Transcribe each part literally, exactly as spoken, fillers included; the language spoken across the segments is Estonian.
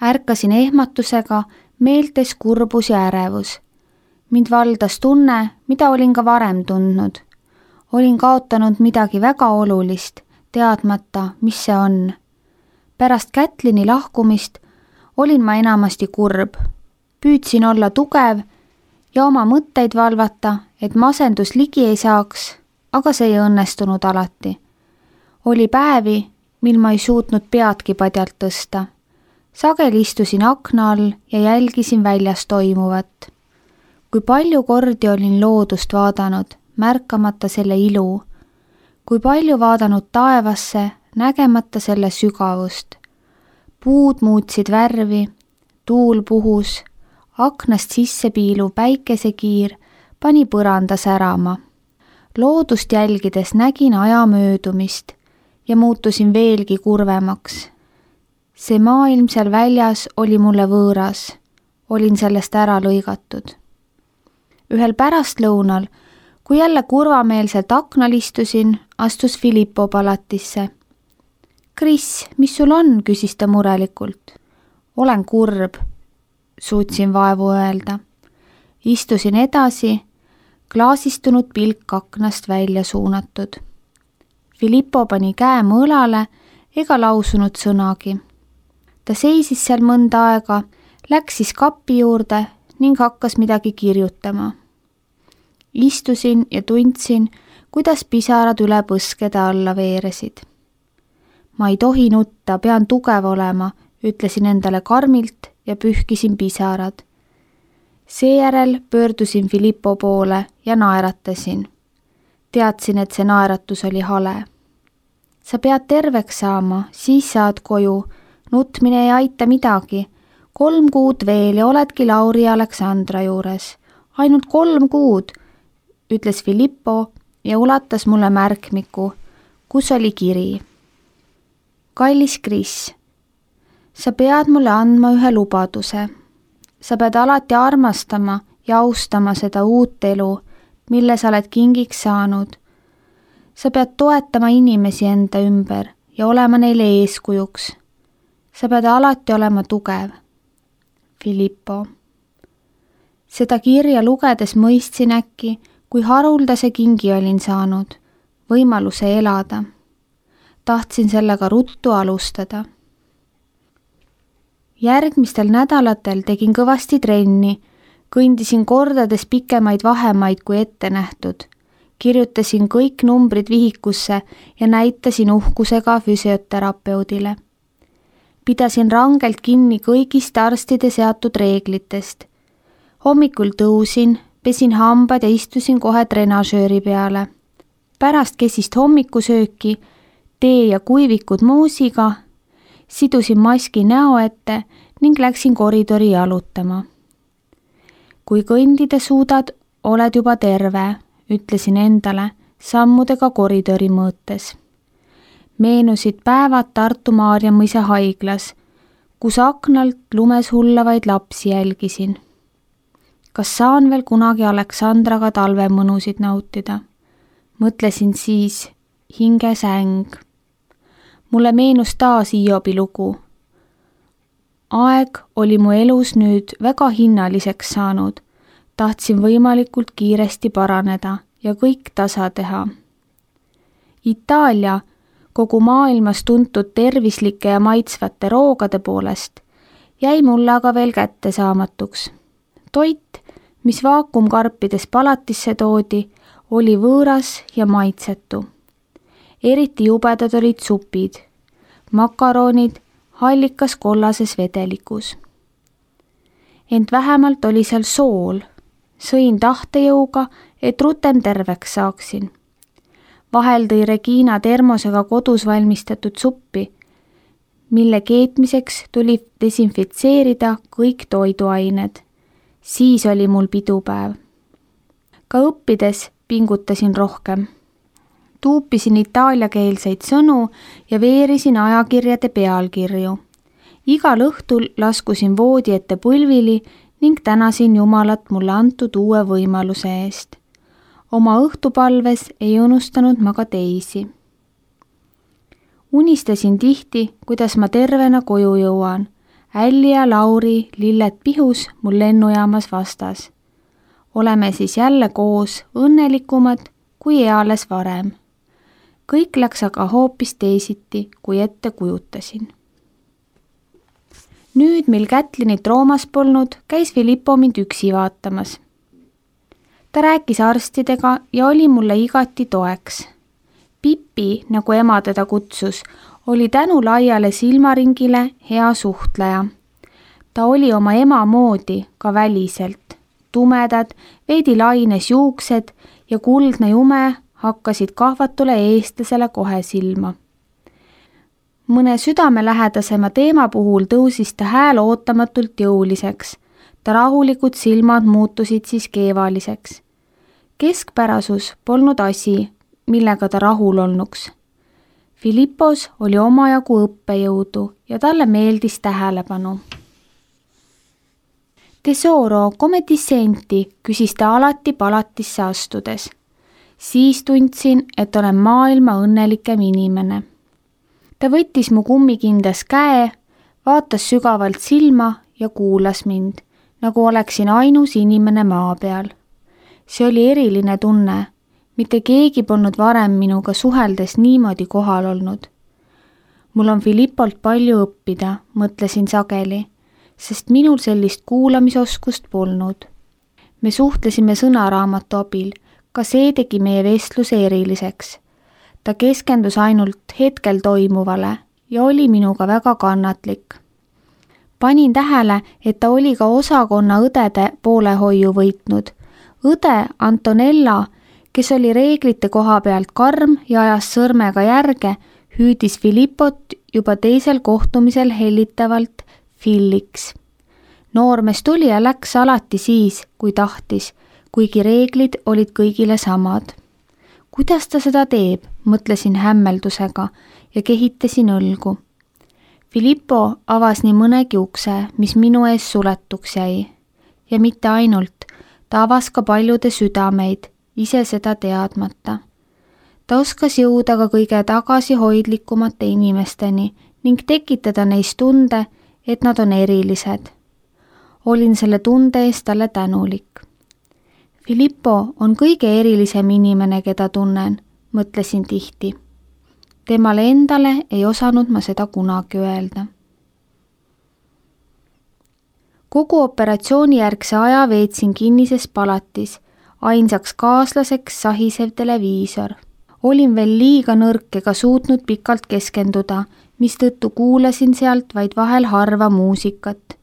Ärkasin ehmatusega, meeltes kurbus ja ärevus. Mind valdas tunne, mida olin ka varem tundnud. Olin kaotanud midagi väga olulist, teadmata, mis see on. Pärast Kätlini lahkumist olin ma enamasti kurb. Püüdsin olla tugev ja oma mõtteid valvata, et masendus ligi ei saaks, aga see ei õnnestunud alati. Oli päevi, mil ma ei suutnud peadki padjalt tõsta. Sageli istusin akna all ja jälgisin väljas toimuvat. Kui palju kordi olin loodust vaadanud, märkamata selle ilu. Kui palju vaadanud taevasse, nägemata selle sügavust. Puud muutsid värvi, tuul puhus, aknast sisse piiluv päikesekiir pani põranda särama. Loodust jälgides nägin aja möödumist ja muutusin veelgi kurvemaks. See maailm seal väljas oli mulle võõras. Olin sellest ära lõigatud. Ühel pärastlõunal, kui jälle kurvameelselt aknal istusin, astus Filippo palatisse. Kris, mis sul on, küsis ta murelikult. Olen kurb, suutsin vaevu öelda. Istusin edasi, klaasistunud pilk aknast välja suunatud. Filippo pani käe mu õlale ega lausunud sõnagi. Ta seisis seal mõnda aega, läks siis kapi juurde ning hakkas midagi kirjutama. Istusin ja tundsin, kuidas pisarad üle põskede alla veeresid. Ma ei tohi nutta, pean tugev olema, ütlesin endale karmilt ja pühkisin pisarad. Seejärel pöördusin Filippo poole ja naeratasin. Teadsin, et see naeratus oli hale. Sa pead terveks saama, siis saad koju. Nutmine ei aita midagi. Kolm kuud veel ja oledki Lauri ja Aleksandra juures. Ainult kolm kuud, ütles Filippo ja ulatas mulle märkmiku, kus oli kiri. Kallis Kris, sa pead mulle andma ühe lubaduse. Sa pead alati armastama ja austama seda uut elu, mille sa oled kingiks saanud. Sa pead toetama inimesi enda ümber ja olema neile eeskujuks. Sa pead alati olema tugev. Filippo. Seda kirja lugedes mõistsin äkki, kui haruldase kingi olin saanud, võimaluse elada. Tahtsin sellega ruttu alustada. Järgmistel nädalatel tegin kõvasti trenni, kõndisin kordades pikemaid vahemaid kui ette nähtud. Kirjutasin kõik numbrid vihikusse ja näitasin uhkusega füsioterapeudile. Pidasin rangelt kinni kõigist arstide seatud reeglitest. Hommikul tõusin, pesin hambad ja istusin kohe trenažööri peale. Pärast kesist hommikusööki, tee ja kuivikud moosiga, sidusin maski näo ette ning läksin koridori jalutama. Kui kõndida suudad, oled juba terve, ütlesin endale sammudega koridori mõõtes. Meenusid päevad Tartu Maarja mõisa haiglas, kus aknalt lumes hullavaid lapsi jälgisin. Kas saan veel kunagi Aleksandraga talvemõnusid nautida? Mõtlesin siis hinge säng. Mulle meenus taas Hiobi lugu. Aeg oli mu elus nüüd väga hinnaliseks saanud. Tahtsin võimalikult kiiresti paraneda ja kõik tasa teha. Itaalia, kogu maailmas tuntud tervislike ja maitsvate roogade poolest, jäi mulle aga veel kättesaamatuks. Toit, mis vaakumkarpides palatisse toodi, oli võõras ja maitsetu. Eriti jubedad olid supid, makaronid hallikas kollases vedelikus. Ent vähemalt oli seal sool. Sõin tahtejõuga, et rutem terveks saaksin. Vahel tõi Regina termosega kodus valmistatud suppi, mille keetmiseks tuli desinfitseerida kõik toiduained. Siis oli mul pidupäev. Ka õppides pingutasin rohkem. Tuupisin itaaliakeelseid sõnu ja veerisin ajakirjade pealkirju. Igal õhtul laskusin voodi ette pulvili ning tänasin Jumalat mulle antud uue võimaluse eest. Oma õhtupalves ei unustanud ma ka teisi. Unistasin tihti, kuidas ma tervena koju jõuan. Älli ja Lauri lilled pihus mul lennujaamas vastas. Oleme siis jälle koos õnnelikumad kui eales varem. Kõik läks aga hoopis teisiti, kui ette kujutasin. Nüüd, mil Kätlinit Roomas polnud, käis Filippo mind üksi vaatamas. Ta rääkis arstidega ja oli mulle igati toeks. Pippi, nagu ema teda kutsus, oli tänu laiale silmaringile hea suhtleja. Ta oli oma ema moodi ka väliselt. Tumedad, veidi laines juuksed ja kuldne jume hakkasid kahvatule eestlasele kohe silma. Mõne südamelähedasema teema puhul tõusis ta hääl ootamatult jõuliseks. Ta rahulikud silmad muutusid siis keevaliseks. Keskpärasus polnud asi, millega ta rahul olnuks. Filippos oli omajagu õppejõudu ja talle meeldis tähelepanu. Tesoro, come ti senti, küsis ta alati palatisse astudes. Siis tundsin, et olen maailma õnnelikem inimene. Ta võttis mu kummikindas käe, vaatas sügavalt silma ja kuulas mind, nagu oleksin ainus inimene maa peal. See oli eriline tunne. Mitte keegi polnud varem minuga suheldes niimoodi kohal olnud. Mul on Filippolt palju õppida, mõtlesin sageli, sest minul sellist kuulamisoskust polnud. Me suhtlesime sõnaraamatu abil, ka see tegi meie vestluse eriliseks. Ta keskendus ainult hetkel toimuvale ja oli minuga väga kannatlik. Panin tähele, et ta oli ka osakonna õdede poolehoiu võitnud. Õde Antonella, kes oli reeglite koha pealt karm ja ajas sõrmega järge, hüüdis Filippot juba teisel kohtumisel hellitavalt Filliks. Noormees tuli ja läks alati siis, kui tahtis, kuigi reeglid olid kõigile samad. Kuidas ta seda teeb, mõtlesin hämmeldusega ja kehitasin õlgu. Filippo avas nii mõnegi ukse, mis minu ees suletuks jäi. Ja mitte ainult, ta avas ka paljude südameid, ise seda teadmata. Ta oskas jõuda ka kõige tagasihoidlikumate inimesteni ning tekitada neist tunde, et nad on erilised. Olin selle tunde eest talle tänulik. Filippo on kõige erilisem inimene, keda tunnen, mõtlesin tihti. Temale endale ei osanud ma seda kunagi öelda. Kogu operatsioonijärgse aja veetsin kinnises palatis, ainsaks kaaslaseks sahisev televiisor. Olin veel liiga nõrk ega suutnud pikalt keskenduda, mistõttu kuulasin sealt vaid vahel harva muusikat.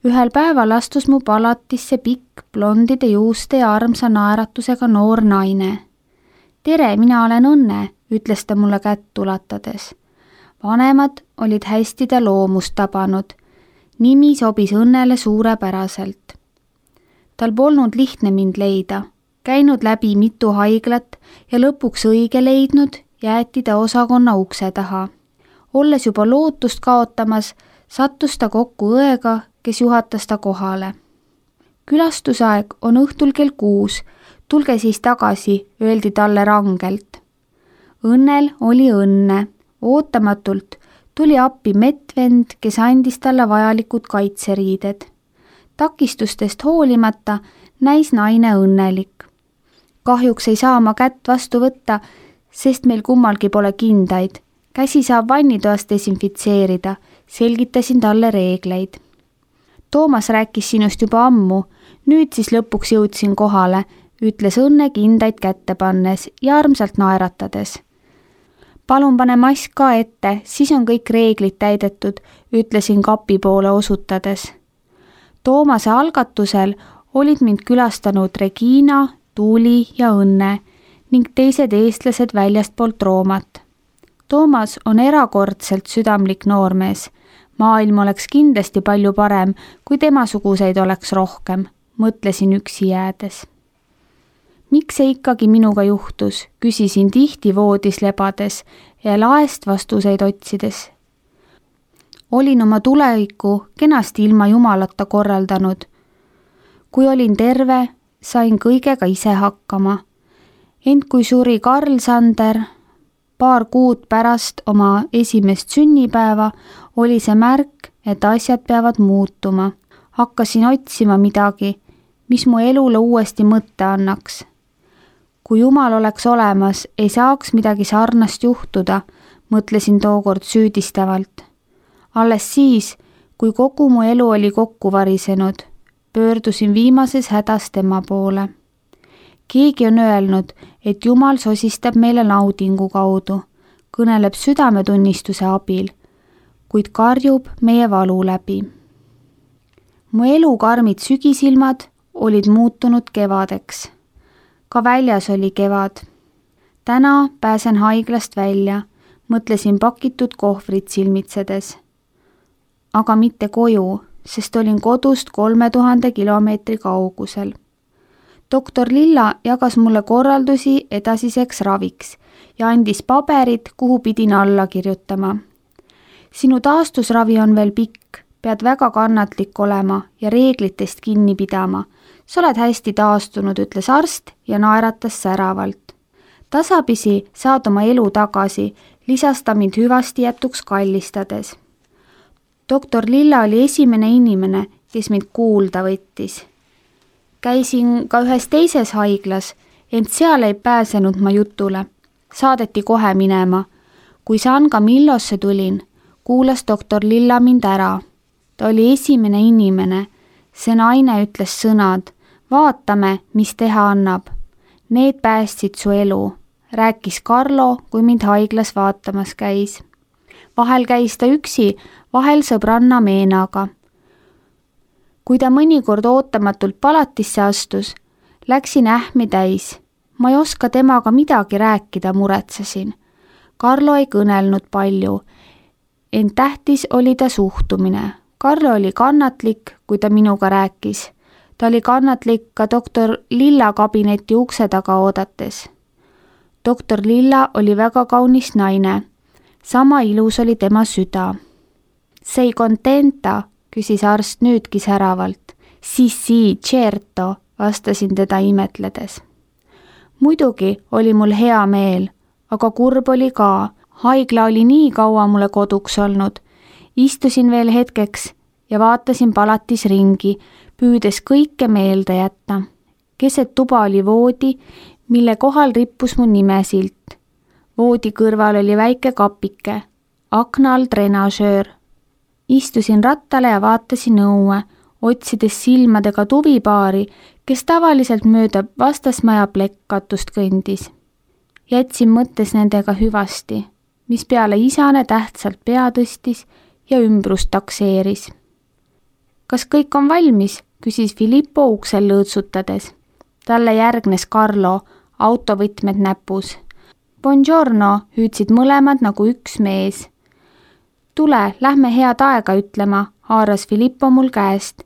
Ühel päeval astus mu palatisse pikk, blondide juuste ja armsa naeratusega noor naine. Tere, mina olen Õnne, ütles ta mulle kätt ulatades. Vanemad olid hästi ta loomust tabanud. Nimi sobis Õnnele suurepäraselt. Tal polnud lihtne mind leida. Käinud läbi mitu haiglat ja lõpuks õige leidnud, jäeti ta osakonna ukse taha. Olles juba lootust kaotamas, sattus ta kokku õega, kes juhatas ta kohale. Külastusaeg on õhtul kell kuus, tulge siis tagasi, öeldi talle rangelt. Õnnel oli õnne. Ootamatult tuli appi mettvend, kes andis talle vajalikud kaitseriided. Takistustest hoolimata näis naine õnnelik. Kahjuks ei saa ma kätt vastu võtta, sest meil kummalgi pole kindaid. Käsi saab vannitoas desinfitseerida, selgitasin talle reegleid. Toomas rääkis sinust juba ammu, nüüd siis lõpuks jõudsin kohale, ütles Õnne kindaid kätte pannes ja armsalt naeratades. Palun pane mask ka ette, siis on kõik reeglid täidetud, ütlesin kapi poole osutades. Toomase algatusel olid mind külastanud Regina, Tuuli ja Õnne ning teised eestlased väljastpoolt Roomat. Toomas on erakordselt südamlik noormees. Maailm oleks kindlasti palju parem, kui temasuguseid oleks rohkem, mõtlesin üksi jäädes. Miks see ikkagi minuga juhtus, küsisin tihti voodis lebades ja laest vastuseid otsides. Olin oma tuleviku kenasti ilma jumalata korraldanud. Kui olin terve, sain kõigega ise hakkama. Ent kui suri Karl Sander, paar kuud pärast oma esimest sünnipäeva, oli see märk, et asjad peavad muutuma. Hakkasin otsima midagi, mis mu elule uuesti mõtte annaks. Kui Jumal oleks olemas, ei saaks midagi sarnast juhtuda, mõtlesin tookord süüdistavalt. Alles siis, kui kogu mu elu oli kokku varisenud, pöördusin viimases hädas tema poole. Keegi on öelnud, et Jumal sosistab meile naudingu kaudu, kõneleb südametunnistuse abil, kuid karjub meie valu läbi. Mu elu karmid sügisilmad olid muutunud kevadeks. Ka väljas oli kevad. Täna pääsen haiglast välja, mõtlesin pakitud kohvrit silmitsedes. Aga mitte koju, sest olin kodust kolme tuhande kilomeetri kaugusel. Doktor Lilla jagas mulle korraldusi edasiseks raviks ja andis paberid, kuhu pidin alla kirjutama. Sinu taastusravi on veel pikk, pead väga kannatlik olema ja reeglitest kinni pidama. Sa oled hästi taastunud, ütles arst ja naeratas säravalt. Tasapisi saad oma elu tagasi, lisas ta mind hüvasti jätuks kallistades. Doktor Lilla oli esimene inimene, kes mind kuulda võttis. Käisin ka ühes teises haiglas, ent seal ei pääsenud ma jutule. Saadeti kohe minema. Kui San Camillosse tulin, kuulas doktor Lilla mind ära. Ta oli esimene inimene. See naine ütles sõnad. Vaatame, mis teha annab. Need päästsid su elu, rääkis Carlo, kui mind haiglas vaatamas käis. Vahel käis ta üksi, vahel sõbranna Meenaga. Kui ta mõnikord ootamatult palatisse astus, läksin ähmi täis. Ma ei oska temaga midagi rääkida, muretsesin. Carlo ei kõnelnud palju, ent tähtis oli ta suhtumine. Carlo oli kannatlik, kui ta minuga rääkis. Ta oli kannatlik ka doktor Lilla kabineti ukse taga oodates. Doktor Lilla oli väga kaunis naine. Sama ilus oli tema süda. Sei contenta, küsis arst nüüdki säravalt. Si, si, certo, vastasin teda imetledes. Muidugi oli mul hea meel, aga kurb oli ka. Haigla oli nii kaua mulle koduks olnud. Istusin veel hetkeks ja vaatasin palatis ringi, püüdes kõike meelde jätta. Keset tuba oli voodi, mille kohal rippus mu nimesilt. Voodi kõrval oli väike kapike, akna all trenažöör. Istusin rattale ja vaatasin õue, otsides silmadega tuvipaari, kes tavaliselt mööda vastasmaja plekkatust kõndis. Jätsin mõttes nendega hüvasti, mis peale isane tähtsalt pea tõstis ja ümbrust takseeris. Kas kõik on valmis, küsis Filippo uksel lõõtsutades. Talle järgnes Carlo, autovõtmed näpus. Buongiorno, hüüdsid mõlemad nagu üks mees. Tule, lähme head aega ütlema, haaras Filippo mul käest.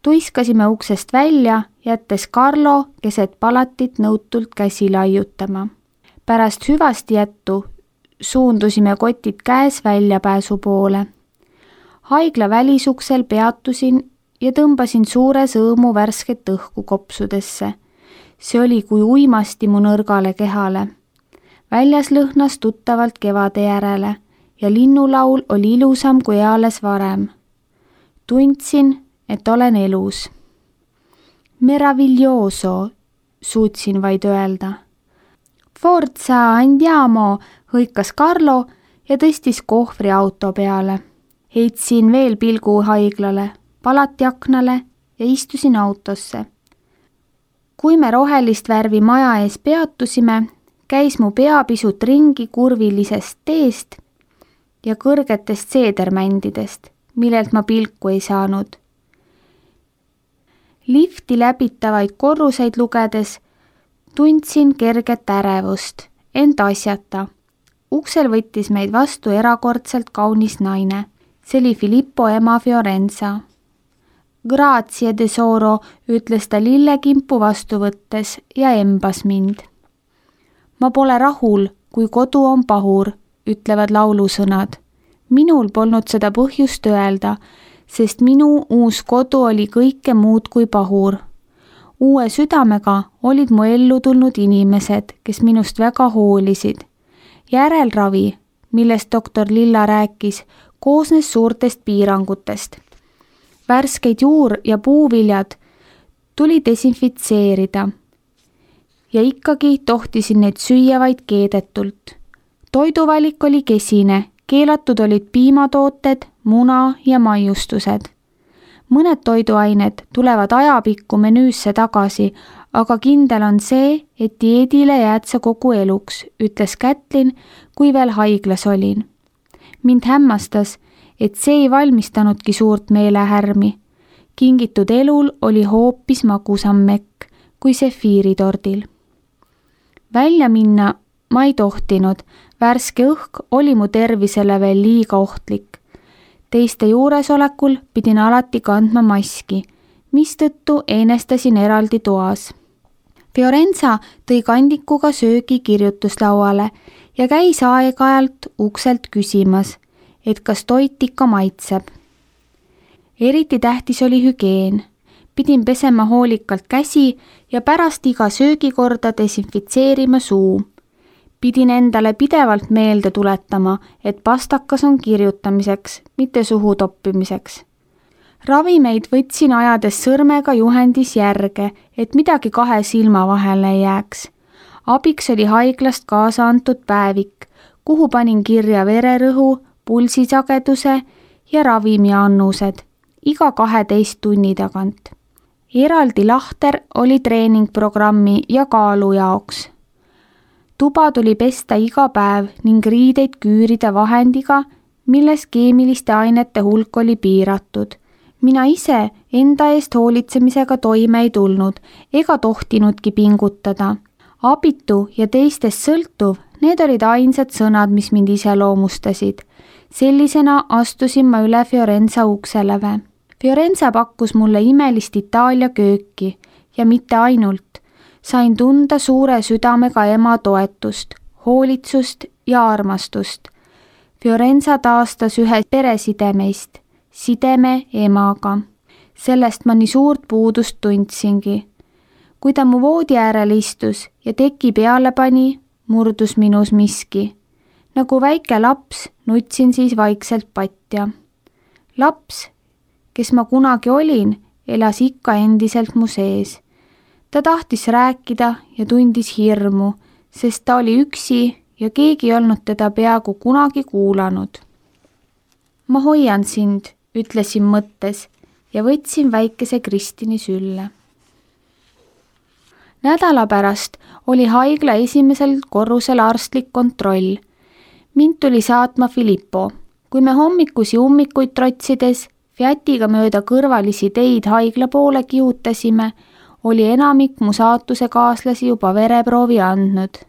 Tuiskasime uksest välja, jättes Carlo keset palatit nõutult käsi laiutama. Pärast hüvasti jättu suundusime kotid käes väljapääsu poole. Haigla välisuksel peatusin ja tõmbasin suure sõõmu värsket õhku kopsudesse. See oli kui uimasti mu nõrgale kehale. Väljas lõhnas tuttavalt kevade järele ja linnulaul oli ilusam kui eales varem. Tundsin, et olen elus. Meraviglioso, suutsin vaid öelda. Forza, andiamo, hõikas Carlo ja tõstis kohvri auto peale. Heitsin veel pilgu haiglale, palati aknale ja istusin autosse. Kui me rohelist värvi maja ees peatusime, käis mu pea pisut ringi kurvilisest teest ja kõrgetest seedermändidest, millelt ma pilku ei saanud. Lifti läbitavaid korruseid lugedes tundsin kerget ärevust, ent asjata. Uksel võttis meid vastu erakordselt kaunis naine. See oli Filippo ema Fiorenza. Grazie tesoro, ütles ta lillekimpu vastu võttes ja embas mind. Ma pole rahul, kui kodu on pahur, ütlevad laulusõnad. Minul polnud seda põhjust öelda, sest minu uus kodu oli kõike muud kui pahur. Uue südamega olid mu ellu tulnud inimesed, kes minust väga hoolisid. Järelravi, millest doktor Lilla rääkis, koosnes suurtest piirangutest. Värskeid juur- ja puuviljad tuli desinfitseerida ja ikkagi tohtisin neid süüa vaid keedetult. Toiduvalik oli kesine, keelatud olid piimatooted, muna ja maiustused. Mõned toiduained tulevad ajapikku menüüsse tagasi, aga kindel on see, et dieedile jääd sa kogu eluks, ütles Kätlin, kui veel haiglas olin. Mind hämmastas, et see ei valmistanudki suurt meelehärmi. Kingitud elul oli hoopis magusam mekk kui sefiiritordil. Välja minna ma ei tohtinud, värske õhk oli mu tervisele veel liiga ohtlik. Teiste juuresolekul pidin alati kandma maski, mistõttu eenestasin eraldi toas. Fiorenza tõi kandikuga söögi kirjutuslauale ja käis aeg-ajalt ukselt küsimas, et kas toit ikka maitseb. Eriti tähtis oli hügieen. Pidin pesema hoolikalt käsi ja pärast iga söögikorda desinfitseerima suu. Pidin endale pidevalt meelde tuletama, et pastakas on kirjutamiseks, mitte suhu toppimiseks. Ravimeid võtsin ajades sõrmega juhendis järge, et midagi kahe silma vahele ei jääks. Abiks oli haiglast kaasa antud päevik, kuhu panin kirja vererõhu, pulsisageduse ja ravimiannused iga kaheteist tunni tagant. Eraldi lahter oli treeningprogrammi ja kaalu jaoks. Tuba tuli pesta iga päev ning riideid küürida vahendiga, milles keemiliste ainete hulk oli piiratud. Mina ise enda eest hoolitsemisega toime ei tulnud ega tohtinudki pingutada. Abitu ja teistest sõltuv, need olid ainsad sõnad, mis mind iseloomustasid. Sellisena astusin ma üle Fiorenza ukseleve. Fiorenza pakkus mulle imelist Itaalia kööki ja mitte ainult. Sain tunda suure südamega ema toetust, hoolitsust ja armastust. Fiorenza taastas ühe peresidemeist, sideme emaga. Sellest ma nii suurt puudust tundsingi. Kui ta mu voodi äärel istus ja teki peale pani, murdus minus miski. Nagu väike laps nutsin siis vaikselt patja. Laps, kes ma kunagi olin, elas ikka endiselt mu sees. Ta tahtis rääkida ja tundis hirmu, sest ta oli üksi ja keegi ei olnud teda peaaegu kunagi kuulanud. Ma hoian sind, ütlesin mõttes ja võtsin väikese Kristini sülle. Nädala pärast oli haigla esimesel korrusel arstlik kontroll. Mind tuli saatma Filippo. Kui me hommikusi ummikuid trotsides Fiatiga mööda kõrvalisi teid haigla poole kihutasime, oli enamik mu saatuse kaaslasi juba vereproovi andnud.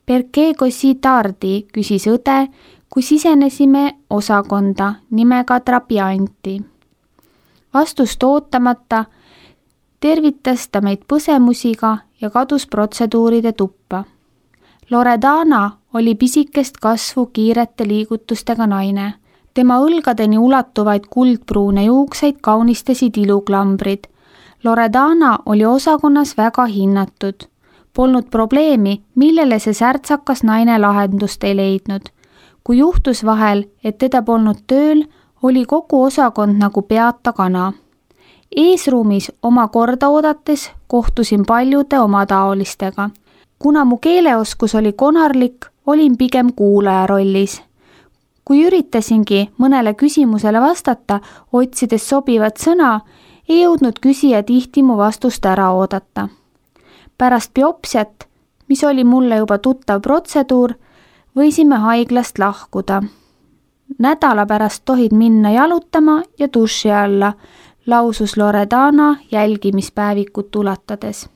Perché così tardi, küsis õde, kui sisenesime osakonda nimega Trapianti. Vastust ootamata tervitas ta meid põsemusiga ja kadus protseduuride tuppa. Loredana oli pisikest kasvu kiirete liigutustega naine. Tema õlgadeni ulatuvaid kuldpruune juukseid kaunistasid iluklambrid. Loredana oli osakonnas väga hinnatud. Polnud probleemi, millele see särtsakas naine lahendust ei leidnud. Kui juhtus vahel, et teda polnud tööl, oli kogu osakond nagu peata kana. Eesruumis oma korda oodates kohtusin paljude oma taolistega. Kuna mu keeleoskus oli konarlik, olin pigem kuulaja rollis. Kui üritasingi mõnele küsimusele vastata, otsides sobivat sõna, ei jõudnud küsija tihti mu vastust ära oodata. Pärast biopsiat, mis oli mulle juba tuttav protseduur, võisime haiglast lahkuda. Nädala pärast tohid minna jalutama ja duši alla, lausus Loredana jälgimispäevikut ulatades.